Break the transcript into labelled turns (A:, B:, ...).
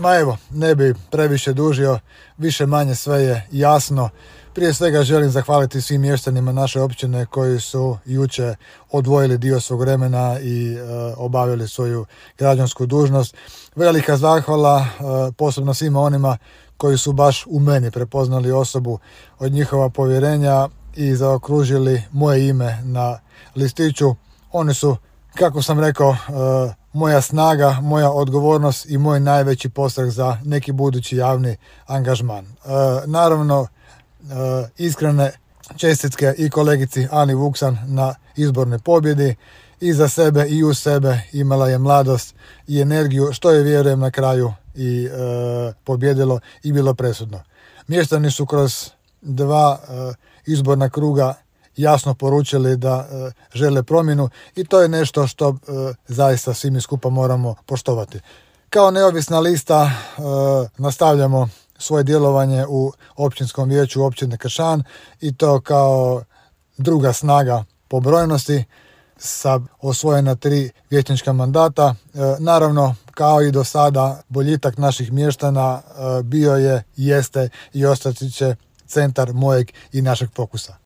A: Ma evo, ne bi previše dužio, više manje sve je jasno. Prije svega želim zahvaliti svim mještanima naše općine koji su jučer odvojili dio svog vremena i obavili svoju građansku dužnost. Velika zahvala posebno svima onima koji su baš u meni prepoznali osobu od njihova povjerenja i zaokružili moje ime na listiću. Oni su, kako sam rekao, moja snaga, moja odgovornost i moj najveći postrah za neki budući javni angažman. Naravno, iskrene čestitke i kolegici Ani Vuksan na izbornoj pobjedi. I za sebe i u sebe imala je mladost i energiju, što je, vjerujem, na kraju i pobjedilo i bilo presudno. Mještani su kroz 2 izborna kruga jasno poručili da žele promjenu i to je nešto što zaista svi mi skupa moramo poštovati. Kao neovisna lista nastavljamo svoje djelovanje u općinskom vijeću općine Kršan i to kao druga snaga po brojnosti sa osvojena 3 vijećnička mandata. Naravno, kao i do sada, boljitak naših mještana bio je, jeste i ostati će centar mojeg i našeg fokusa.